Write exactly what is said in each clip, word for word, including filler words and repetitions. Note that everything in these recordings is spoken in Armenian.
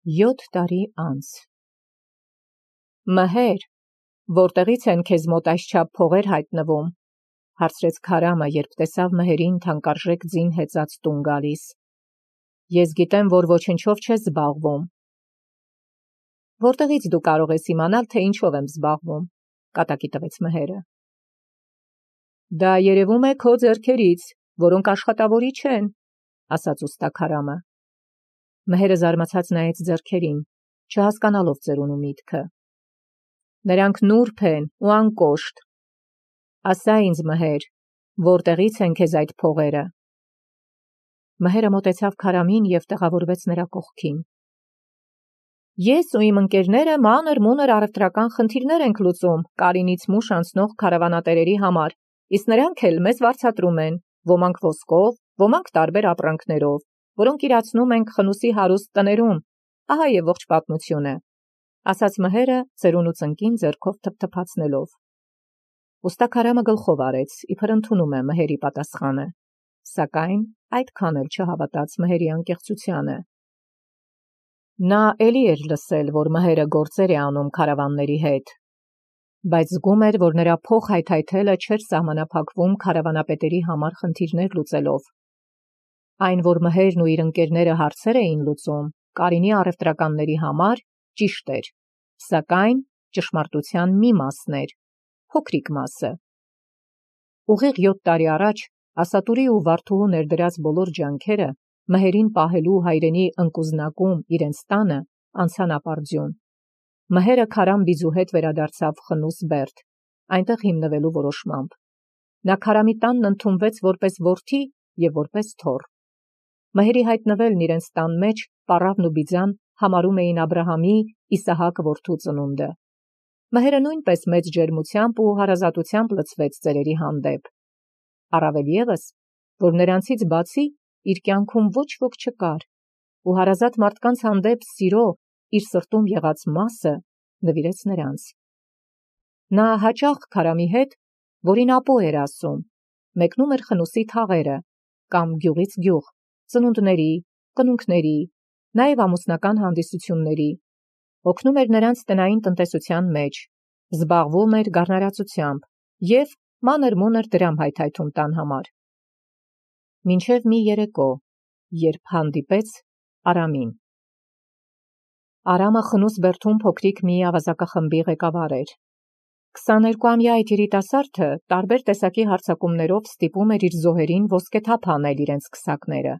Յոթ տարի անց։ Մհեր, որտեղից են քեզ մոտ այսչափ փողեր հայտնվում, հարցրեց Քարամը, երբ տեսավ Մհերին թանկարժեք ձին հեծած տուն գալիս։ Ես գիտեմ, որ ոչնչով չես զբաղվում։ Որտեղից դու կարող ես իմանալ, թե ինչով եմ զբաղվում, կատակի տվեց Մհերը։ Դա երևում է քո ձեռքերից, որոնք աշխատավորի չեն, ասաց ուստա Քարամը։ Մհերը զարմացած նայեց ձեռքերին, չհասկանալով ծերունու միտքը։ Նրանք նուրբ են ու անկոշտ։ Ասա ինձ, Մհեր, որտեղից են քեզ այդ փողերը։ Մհերը մոտեցավ Քարամին և տեղավորվեց նրա կողքին։ Ես ու իմ ընկերները մանր-մունր առևտրական խնդիրներ ենք լուծում Կարինից մուշ անցնող քարավանատերերի համար, իսկ նրանք էլ մեզ վարձատրում են, ոմանք ոսկով, ոմանք տարբեր ապրանքներով, որոնք իրացնում ենք Խնուսի հարուստ տներում, ահա և ողջ պատմությունը, ասաց Մհերը ծերունու ծնկին ձեռքով թփթփացնելով։ Ուստա Քարամը գլխով արեց, իբր ընդունում է Մհերի պատասխանը, սակայն այդքան էլ չհավատաց Մհերի անկեղծությանը։ Նա էլի էր լսել, որ Մհերը գործեր է անում քարավանների հետ, բայց զգում էր, որ նրա փող հայթայթելը չէր սահմանափակվում քարավանապետերի համար խնդիրներ լուծելով։ Այն, որ Մհերն ու իր ընկերները հարցեր էին լուծում Կարինի առևտրականների համար, ճիշտ էր, սակայն ճշմարտության մի մասն էր, փոքրիկ մասը։ Ուղիղ յոթ տարի առաջ Ասատուրի ու Վարդուհու ներդրած բոլոր ջանքերը Մհերին պահելու հայրենի ընկուզնակում իրենց տանը անցան ապարդյուն։ Մհերը Քարամ Բիձու հետ վերադարձավ Խնուս Բերդ, այնտեղ հիմնվելու որոշմամբ։ Նա Քարամի տանն ընդունվեց որպես որդի և որպես թոռ։ Մհերի հայտնվելն իրենց տան մեջ Պառավն ու Բիձան համարում էին Աբրահամի Իսահակ որդու ծնունդը։ Մհերը նույնպես մեծ ջերմությամբ ու հարազատությամբ լցվեց ծերերի հանդեպ։ Առավել ևս, որ նրանցից բացի իր կյանքում ոչ ոք չկար, ու հարազատ մարդկանց հանդեպ սիրո իր սրտում եղած մասը նվիրեց նրանց։ Նա հաճախ Քարամի հետ, որին ապո էր ասում, մեկնում էր Խնուսի թաղերը կամ գյուղից գյուղ, ծնունդների, կնունքների, նաև ամուսնական հանդիսությունների, օգնում էր նրանց տնային տնտեսության մեջ, զբաղվում էր գառնարացությամբ և մանր-մունր դրամ հայթայթում տան համար։ Մինչև մի երեկո, երբ հանդիպեց Արամին։ Արամը Խնուս Բերդում փոքրիկ մի ավազակախմբի ղեկավար էր։ Քսաներկուամյա այդ երիտասարդը տարբեր տեսակի հարձակումներով ստիպում էր իր զոհերին ոսկեթափ անել իրենց քսակները,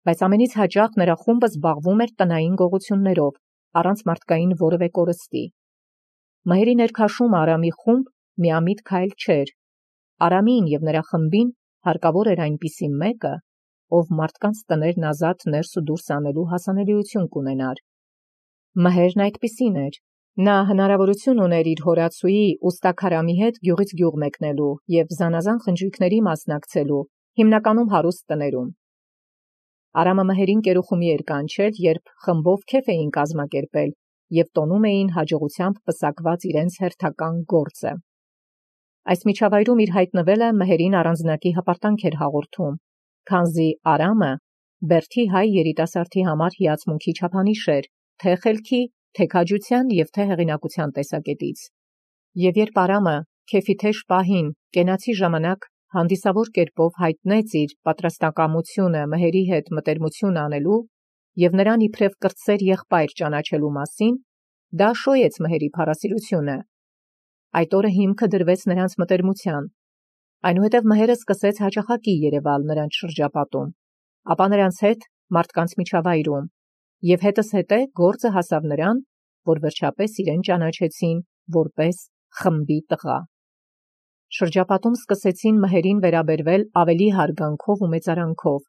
բայց ամենից հաճախ նրա խումբը զբաղվում էր տնային գողություններով, առանց մարդկային որևէ կորստի։ Մհերի ներքաշում Արամի խումբ միամիտ քայլ չէր։ Արամին և նրա խմբին հարկավոր էր այնպիսի մեկը, ով մարդկանց տներն ազատ ներս ու դուրս անելու հասանելիություն կունենար։ Մհերն այդպիսին էր։ Նա հնարավորություն ուներ իր հորացուի ուստա Քարամի հետ գյուղից գյուղ մեկնելու և զանազան խնջույքների մասնակցելու, հիմնականում հարուստ տներում։ Արամը Մհերին կերուխումի էր կանչել, երբ խմբով քեֆ էին կազմակերպել և տոնում էին հաջողությամբ պսակված իրենց հերթական գործը։ Այս միջավայրում իր հայտնվելը Մհերին առանձնակի հպարտանք էր հաղորդում, քանզի Արամը Բերդի հայ երիտասարդի համար հիացմունքի չափանիշ էր, թե խելքի, թե քաջության և թե հեղինակության տեսակետից։ Եվ երբ Արամը քեֆի թեժ պահին, կենացի ժամանակ հանդիսավոր կերպով հայտնեց իր պատրաստակամությունը Մհերի հետ մտերմություն անելու և նրան իբրև կրտսեր եղբայր ճանաչելու մասին, դա շոյեց Մհերի փառասիրությունը։ Այդ օրը հիմքը դրվեց նրանց մտերմության։ Այնուհետև Մհերը սկսեց հաճախակի երևալ նրանց շրջապատում, ապա նրանց հետ մարդկանց միջավայրում, և հետզհետե գործը հասավ նրան, որ վերջապես իրեն ճանաչեցին որպես խմբի տղա։ Շրջապատում սկսեցին Մհերին վերաբերվել ավելի հարգանքով ու մեծարանքով,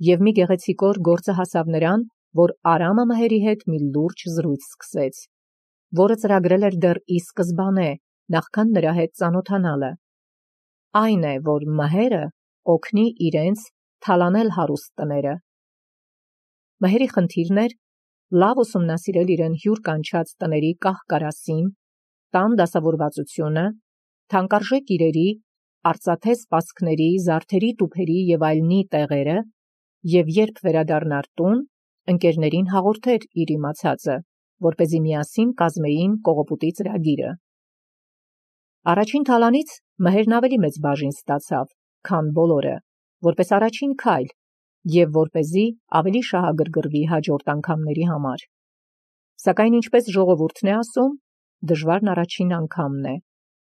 և մի գեղեցիկ օր գործը հասավ նրան, որ Արամը Մհերի հետ մի լուրջ զրույց սկսեց, որը ծրագրել էր դեռ ի սկզբանե, նախքան նրա հետ ծանոթանալը։ Այն է, որ Մհերը օգնի իրենց թալանել հարուստ տները։ Մհերի խնդիրն էր լավ ուսումնասիրել իրեն հյուր կանչած տների կահ-կարասին, տան դասավորվածությունը, թանկարժեք իրերի, արծաթե սպասքների, զարդերի տուփերի և այլնի տեղերը, և երբ վերադառնար տուն, ընկերներին հաղորդեր իր իմացածը, որպեսզի միասին կազմեին կողոպուտի ծրագիրը։ Առաջին թալանից Մհերն ավելի մեծ բաժին ստացավ, քան բոլորը, որպես առաջին քայլ և որպեսզի ավելի շահագրգռվի հաջորդ անգամների համար։ Սակայն ինչպես ժողովուրդն է ասում, դժվարն առաջին անգամն է։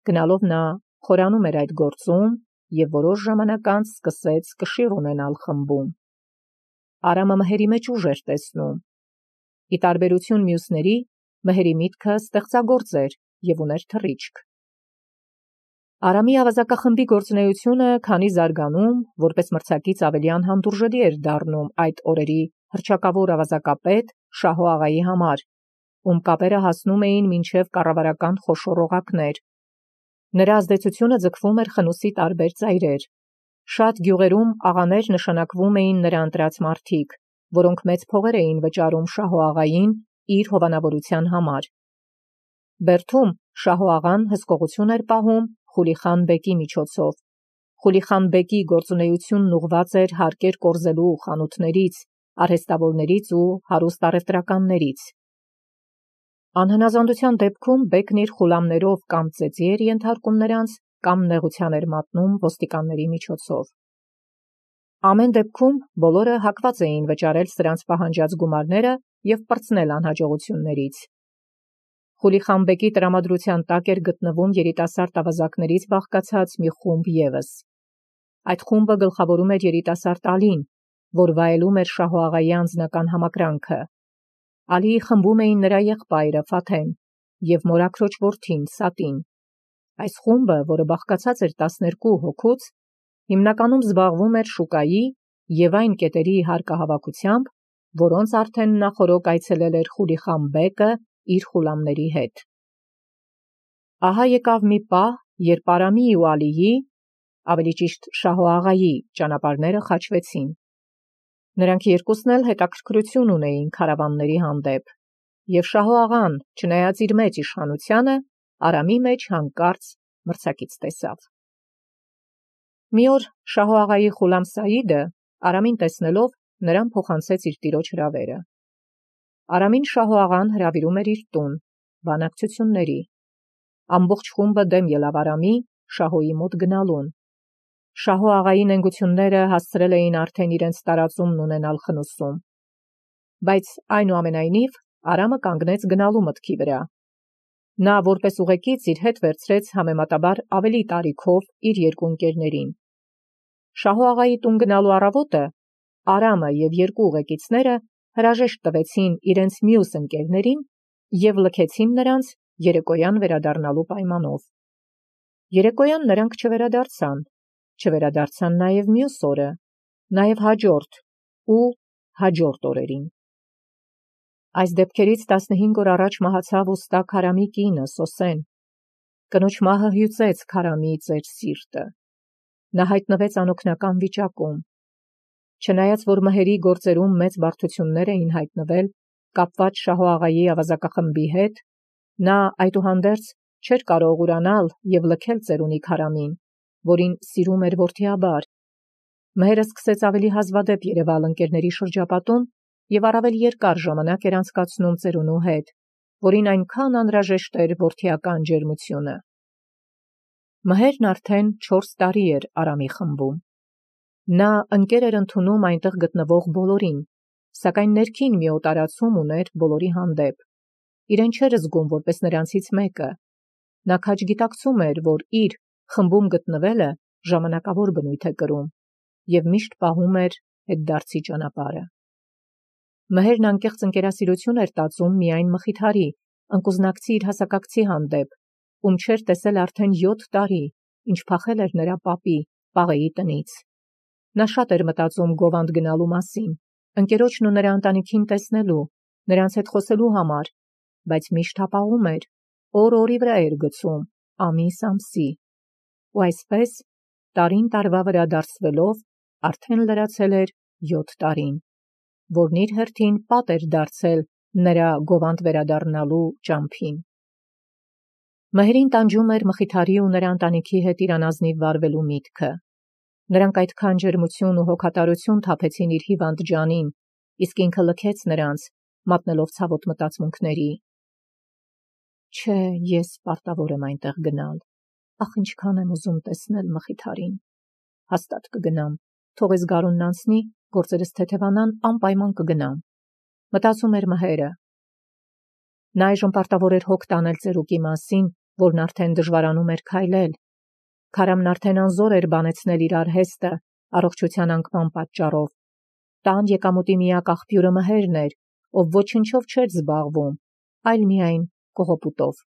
Գնալով նա խորանում էր այդ գործում և որոշ ժամանակ անց սկսեց կշիռ ունենալ խմբում։ Արամը Մհերի մեջ ուժ էր տեսնում։ Ի տարբերություն մյուսների, Մհերի միտքը ստեղծագործ էր և ուներ թռիչք։ Արամի ավազակախմբի գործունեությունը քանի զարգանում, որպես մրցակից ավելի անհանդուրժելի էր դառնում այդ օրերի հռչակավոր ավազակապետ Շահո աղայի համար, ում կապերը հասնում էին մինչև կառավարական խոշոր օղակներ։ Նրա ազդեցությունը ձգվում էր խնուսի տարբեր ծայրեր։ Շատ գյուղերում աղաներ նշանակվում էին նրա ընտրած մարդիկ, որոնք մեծ փողեր էին վճարում Շահո աղային իր հովանավորության համար։ Բերդում Շահո աղան հսկողություն էր պահում Խուլիխան բեկի միջոցով։ Խուլիխան բեկի գործունեությունն ուղղված էր հարկեր կորզելու խանութներից, արհեստավորներից ու հարուստ առևտրականներից։ Անհնազանդության դեպքում բեկն իր խուլամներով կամ ծեծի էր ենթարկում նրանց, կամ նեղության էր մատնում ոստիկանների միջոցով։ Ամեն դեպքում բոլորը հակված էին վճարել սրանց պահանջած գումարները և պրծնել անհաջողություններից։ Խուլիխան բեկի տրամադրության տակ էր գտնվում երիտասարդ ավազակներից բաղկացած մի խումբ ևս։ Այդ խումբը գլխավորում էր երիտասարդ Ալին, որ վայելում էր Շահո աղայի անձնական համակրանքը։ Ալիի խմբում էին նրա եղբայրը Ֆաթեն և մորաքրոջ որդին Սատին։ Այս խումբը, որը բաղկացած էր տասներկու հոգուց, հիմնականում զբաղվում էր շուկայի և այն կետերի հարկահավաքությամբ, որոնց արդեն նախօրոք այցելել էր Խուլիխան բեկը իր խուլամների հետ։ Ահա եկավ մի պահ, երբ Արամի ու Ալիի, ավելի ճիշտ Շահո աղայի ճանապարհները խաչվեցին։ Նրանք երկուսն էլ հետաքրքրություն ունեին քարավանների հանդեպ, և Շահո աղան, չնայած իր մեծ իշխանությանը, Արամի մեջ հանկարծ մրցակից տեսավ։ Մի օր Շահո աղայի խուլամ Սայիդը, Արամին տեսնելով, նրան փոխանցեց իր տիրոջ հրավերը։ Արամին Շահո աղան հրավիրում էր իր տուն, բանակցությունների։ Ամբողջ խումբը դեմ ելավ Արամի, Շահոյի մոտ գնալուն։ Շահո աղայի նենգությունները հասցրել էին արդեն իրենց տարածումն ունենալ խնուսում։ Բայց այնուամենայնիվ Արամը կանգնեց գնալու մտքի վրա։ Նա որպես ուղեկից իր հետ վերցրեց համեմատաբար ավելի տարիքով իր երկու ընկերներին։ Շահո աղայի տուն գնալու առավոտը Արամը և երկու ուղեկիցները հրաժեշտ տվեցին իրենց մյուս ընկերներին և լքեցին նրանց երեկոյան վերադառնալու պայմանով։ Երեկոյան նրանք չվերադարձան, չվերադարձան նաև մյուս օրը, նաև հաջորդ ու հաջորդ օրերին։ Այս դեպքերից տասնհինգ օր առաջ մահացավ ուստա Քարամի կինը Սոսեն։ Կնոջ մահը հյուծեց Քարամի ծեր սիրտը։ Նա հայտնվեց անօգնական վիճակում։ Չնայած որ Մհերի գործերում մեծ բարդություններ էին հայտնվել կապված Շահո աղայի ավազակախմբի հետ, նա այդուհանդերձ չէր կարող ուրանալ և լքել ծերունի Քարամին, որին սիրում էր որդիաբար։ Մհերը սկսեց ավելի հազվադեպ երևալ ընկերների շրջապատում և առավել երկար ժամանակ էր անցկացնում ծերունու հետ, որին այնքան անհրաժեշտ էր որդիական ջերմությունը։ Մհերն արդեն չորս տարի էր Արամի խմբում։ Նա ընկեր էր ընդունում այնտեղ գտնվող բոլորին, սակայն ներքին մի օտարացում ուներ բոլորի հանդեպ։ Իրեն չէր զգում որպես նրանցից մեկը։ Նա քաջ գիտակցում էր, որ իր խմբում գտնվելը ժամանակավոր բնույթ է կրում և միշտ պահում էր հետդարձի ճանապարհը։ Մհերն անկեղծ ընկերասիրություն էր տածում միայն Մխիթարի, ընկուզնակցի իր հասակակցի հանդեպ, ում չէր տեսել արդեն յոթ տարի, ինչ փախել էր նրա պապի, Պաղեի տնից։ Նա շատ էր մտածում Գովանդ գնալու մասին, ընկերոջն ու նրա ընտանիքին տեսնելու, նրանց հետ խոսելու համար, բայց միշտ հապաղում էր, օր օրի վրա էր գցում, ամիս ամսի։ Ու այսպես, տարին տարվա վրա դարձվելով, արդեն լրացել էր յոթ տարին, որն իր հերթին պատ էր դարձել նրա Գովանդ վերադառնալու ճամփին։ Մհերին տանջում էր Մխիթարի ու նրա ընտանիքի հետ իր անազնիվ վարվելու միտքը։ Նրանք այդքան ջերմություն ու հոգատարություն թափեցին իր հիվանդ ջանին, իսկ ինքը լքեց նրանց, մատնելով ցավոտ մտածմունքների։ Չէ, ես պարտավոր եմ այնտեղ գնալ, ախ ինչքան եմ ուզում տեսնել Մխիթարին, հաստատ կգնամ, թող էս գարունն անցնի, գործերս թեթևանան, անպայման կգնամ, մտածում էր Մհերը։ Նա այժմ պարտավոր էր հոգ տանել ծերուկի մասին, որն արդեն դժվարանում էր քայլել։ Քարամն արդեն անզոր էր բանեցնել իր արհեստը առողջության անկման պատճառով։ Տան եկամուտի միակ աղբյուրը Մհերն էր, ով ոչնչով չէր զբաղվում, այլ միայն կողոպուտով։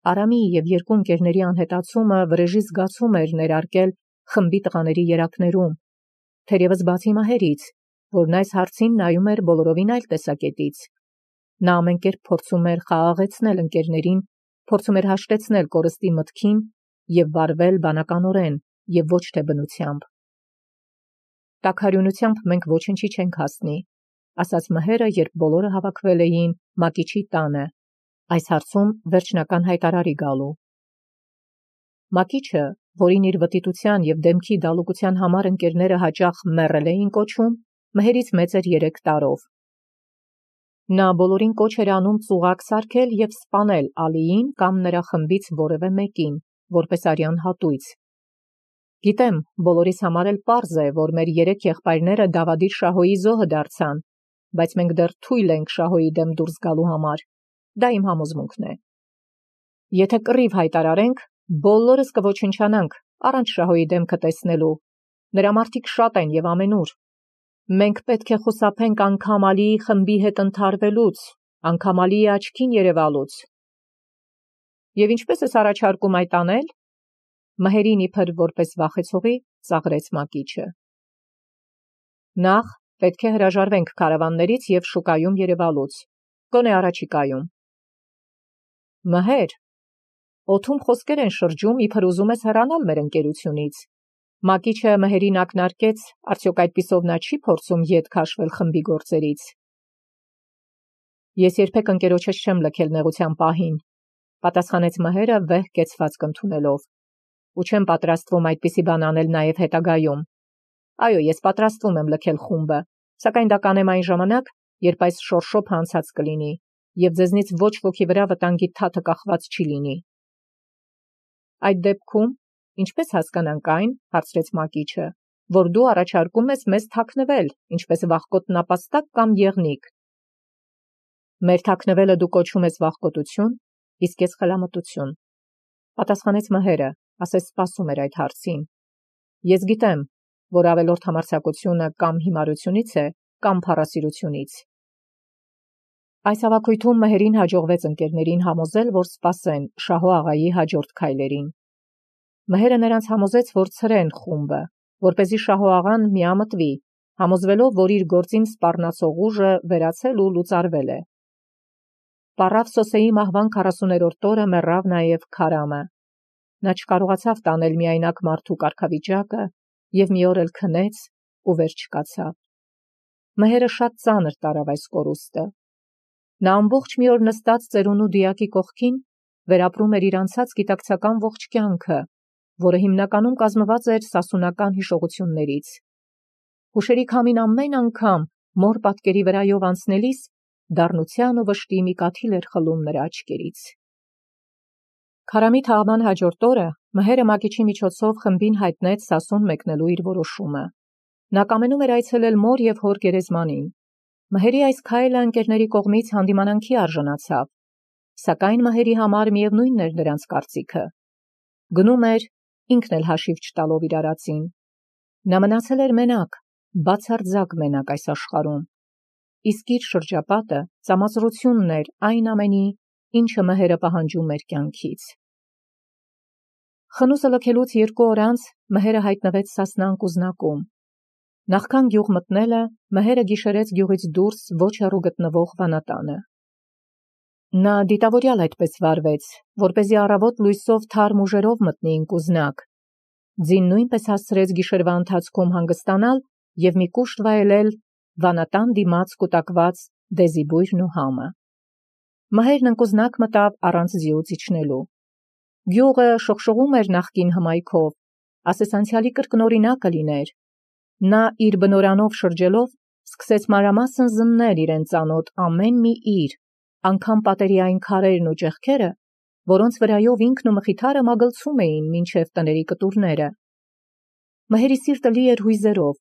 Արամի և երկու ընկերների անհետացումը վրեժի զգացում էր ներարկել խմբի տղաների երակներում, թերևս բացի Մհերից, որն այս հարցին նայում էր բոլորովին այլ տեսակետից։ Նա ամեն կերպ փորձում էր խաղաղեցնել ընկերներին, փորձում էր հաշտեցնել կորստի մտքին և վարվել բանականորեն և ոչ թե բնությամբ։ Տաքարյունությամբ մենք ոչնչի չենք հասնի, ասաց Մհերը, երբ բոլորը հավաքվել էին Մակիչի տանը, այս հարցում վերջնական հայտարարի գալու։ Մակիչը, որին իր վտիտության և դեմքի դալուկության համար ընկերները հաճախ մեռել էին կոչում, Մհերից մեծ էր երեք տարով։ Նա բոլորին կոչ էր անում ծուղակ սարքել և սպանել Ալիին կամ նրա խմբից որևէ մեկին, որպես արյան հատույց։ Գիտեմ, բոլորիս համար էլ պարզ է, որ մեր երեք եղբայրները Դավադիր Շահոյի զոհը դարձան, բայց մենք դեռ թույլ ենք Շահոյի դեմ դուրս գալու համար, դա իմ համոզմունքն է։ Եթե կռիվ հայտարարենք, բոլորս կոչնչանանք առանց Շահոյի դեմքը տեսնելու, նրա մարդիկ շատ են և ամենուր։ Մենք պետք է խուսափենք անգամ Ալիի խմբի հետ ընդհարվելուց, անգամ Ալիի աչքին երևալուց։ Եվ ինչպես ես առաջարկում այդ անել։ Մհերին իբր որպես վախեցողի ծաղրեց Մակիչը։ Նախ պետք է հրաժարվենք քարավաններից և շուկայում երևալուց, գոնե առաջիկայում։ Մհեր, օդում խոսքեր են շրջում, իբր ուզում ես հեռանալ մեր ընկերությունից։ Մակիչը Մհերին ակնարկեց, արդյոք այդպիսով նա չի փորձում ետ քաշվել խմբի գործերից։ Ես երբեք ընկերոջս չեմ լքել նեղության պահին, պատասխանեց Մհերը վեհ կեցվածք ընդունելով, ու չեմ պատրաստվում այդպիսի բան անել նաև հետագայում։ Այո, ես պատրաստվում եմ լքել խումբը, սակայն դա կանեմ այն ժամանակ, երբ այս շորշոփը անցած կլինի, և ձեզնից ոչ ոքի վրա վտանգի թաթը կախված չի լինի։ Այդ դեպքում ինչպես հասկանանք այն, հարցրեց Մակիչը, որ դու առաջարկում ես մեզ թաքնվել, ինչպես վախկոտ նապաստակ կամ եղնիկ։ Մեր թաքնվելը դու կոչում ես վախկոտություն, իսկ ես խելամտություն, պատասխանեց Մհերը, ասես սպասում էր այդ հարցին։ Ես գիտեմ, որ ավելորդ համարձակությունը կամ հիմարությունից է, կամ փառասիրությունից։ Այս հավաքույթում Մհերին հաջողվեց ընկերներին համոզել, որ սպասեն Շահո աղայի հաջորդ քայլերին։ Մհերը նրանց համոզեց, որ ցրեն խումբը, որպեսզի Շահո աղան միամտվի, համոզվելով, որ իր գործին սպառնացող ուժը վերացել ու լուծարվել է։ Պառավ Սոսեի մահվան քառասուներորդ օրը մեռավ նաև Քարամը։ Նա չկարողացավ տանել միայնակ մարդու կարգավիճակը և մի օր էլ քնեց ու վեր չկացավ։ Մհերը շատ ծանր տարավ այս կորուստը։ Նա ամբողջ մի օր նստած ծերունու դիակի կողքին վերապրում էր իր անցած գիտակցական ողջ կյանքը, որը հիմնականում կազմված էր սասունական հիշողություններից։ Հուշերի քամին ամեն անգամ մոր պատկերի վրայով անցնելիս դառնության ու վշտի մի կաթիլ էր խլում նրա աչքերից։ Քարամի թաղման հաջորդ օրը Մհերը Մակիչի միջոցով խմբին հայտնեց Սասուն մեկնելու իր որոշումը։ Նա կամենում էր այցելել մոր և հոր գերեզմանին։ Մհերի այս քայլը ընկերների կողմից հանդիմանանքի արժանացավ, սակայն Մհերի համար միևնույնն էր նրանց կարծիքը։ Գնում էր, ինքն էլ հաշիվ չտալով իր արածին։ Նա մնացել էր մենակ, բացարձակ մենակ այս աշխարհում, իսկ իր շրջապատը ծամածրությունն էր այն ամենի, ինչը Մհերը պահանջում էր կյանքից։ Խնուսը լքելուց երկու օր անց Մհերը հայտնվեց Սասնան կուզնակում։ Նախքան գյուղ մտնելը Մհերը գիշերեց գյուղից դուրս ոչ հեռու գտնվող վանատանը։ Նա դիտավորյալ այդպես վարվեց, որպեսզի առավոտ լույսով թարմ ուժերով մտնի ինկուզնակ։ Ձին նույնպես հասցրեց գիշերվա ընթացքում հանգստանալ և մի կուշտ վայելել վանատան դիմաց կուտակված դեզիբույրն ու համը։ Մհերն ընկուզնակ մտավ առանց ձիուց իջնելու։ Գյուղը շողշողում էր նախկին հմայքով, ասես անցյալի կրկնօրինակը լիներ։ Նա իր բնորանով շրջելով Սկսեց մանրամասն զննել իրեն ծանոթ ամեն մի իր, անգամ պատերի այն քարերն ու ճեղքերը, որոնց վրայով ինքն ու մխիթարը մագլցում էին մինչև տների կտուրները։ Մհերի սիրտը լի էր հույզերով,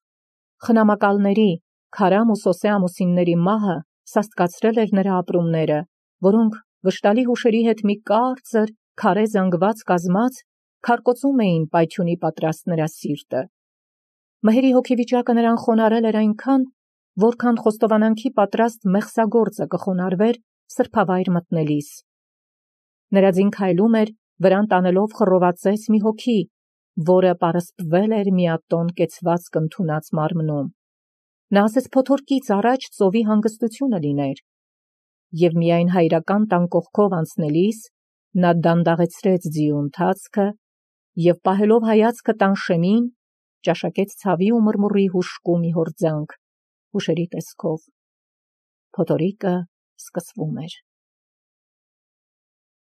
խնամակալների, Քարամ ու Սոսե ամուսինների մահը սաստկացրել էր նրա ապրումները, որոնք վշտալի հուշերի հետ մի կարծր, քարե զանգված կազմած, քարկոծում էին պայթյունի պատրաստ նրա սիրտը։ Մհերի հոգեվիճակը նրան խոնարհել էր այնքան, որքան խոստովանանքի պատրաստ մեղսագործը կխոնարհվեր սրբավայր մտնելիս։ Նրա ձին քայլում էր, վրան տանելով խռովածեց մի հոգի, որը պարսպվել էր միատոն կեցված կընդունած մարմնում։ Նա ասեց փոթորկից առաջ ծովի հանգստությունը լիներ, և միայն հայրական տան կողքով անցնելիս նա դանդաղեցրեց ձիու ընթացքը և պահելով հայացքը տան շեմին, ճաշակեց ցավի ու մռմուռի հուժկու մի հորձանք, հուշերի տեսքով։ Փոթորիկը սկսվում էր։